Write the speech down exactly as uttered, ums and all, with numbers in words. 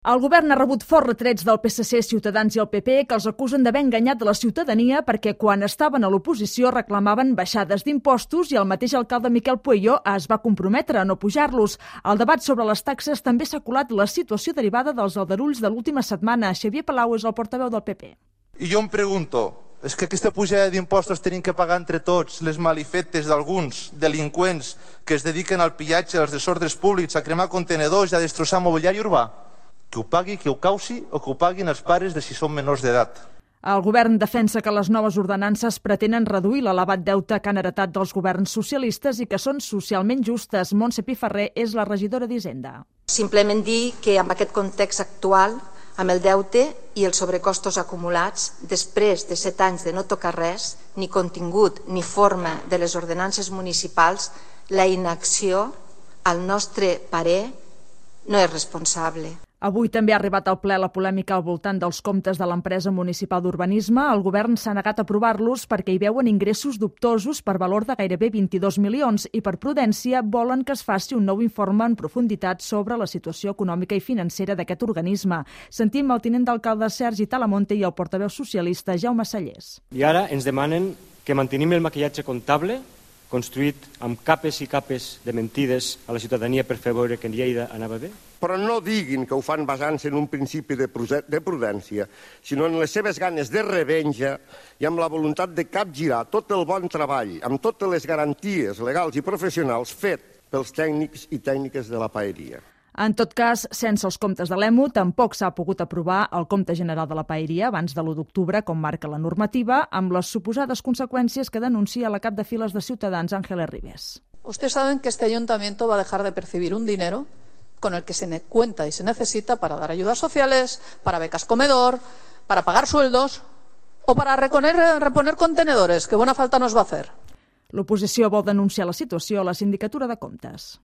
El govern ha rebut forts retrets del P S C, Ciutadans i el P P que els acusen d'haver enganyat la ciutadania perquè quan estaven a l'oposició reclamaven baixades d'impostos i el mateix alcalde Miquel Pueyo es va comprometre a no pujar-los. Al debat sobre les taxes també s'ha colat la situació derivada dels aldarulls de l'última setmana. Xavier Palau és el portaveu del P P. I jo em pregunto, és que aquesta pujada d'impostos tenim que pagar entre tots les malifetes d'alguns delinqüents que es dediquen al pillatge, als desordres públics, a cremar contenedors i a destrossar mobiliari urbà? Que ho pagui, que ho causi o que ho paguin els pares de si són menors d'edat. El govern defensa que les noves ordenances pretenen reduir l'elevat deute que han heretat dels governs socialistes i que són socialment justes. Montse Piferrer és la regidora d'Hisenda. Simplement dir que amb aquest context actual, amb el deute i els sobrecostos acumulats, després de set anys de no tocar res, ni contingut ni forma de les ordenances municipals, la inacció, al nostre parer, no és responsable. Avui també ha arribat al ple la polèmica al voltant dels comptes de l'empresa municipal d'urbanisme. El govern s'ha negat a aprovar-los perquè hi veuen ingressos dubtosos per valor de gairebé vint-i-dos milions i per prudència volen que es faci un nou informe en profunditat sobre la situació econòmica i financera d'aquest organisme. Sentim el tinent d'alcalde Sergi Talamonte i el portaveu socialista Jaume Sallés. I ara ens demanen que mantenim el maquillatge comptable construït amb capes i capes de mentides a la ciutadania per fer veure que en Lleida anava bé? Però no diguin que ho fan basant-se en un principi de prudència, sinó en les seves ganes de revenja i amb la voluntat de capgirar tot el bon treball, amb totes les garanties legals i professionals fet pels tècnics i tècniques de la paeria. En tot cas, sense els comptes de l'E M U, tampoc s'ha pogut aprovar el compte general de la paeria abans de l'u d'octubre, com marca la normativa, amb les suposades conseqüències que denuncia la cap de files de Ciutadans, Ángeles Ribes. Ustedes saben que este ayuntamiento va a dejar de percibir un dinero con el que se cuenta y se necesita para dar ayudas sociales, para becas comedor, para pagar sueldos o para reponer, reponer contenedores, que buena falta nos va a hacer. L'oposició vol denunciar la situació a la Sindicatura de Comptes.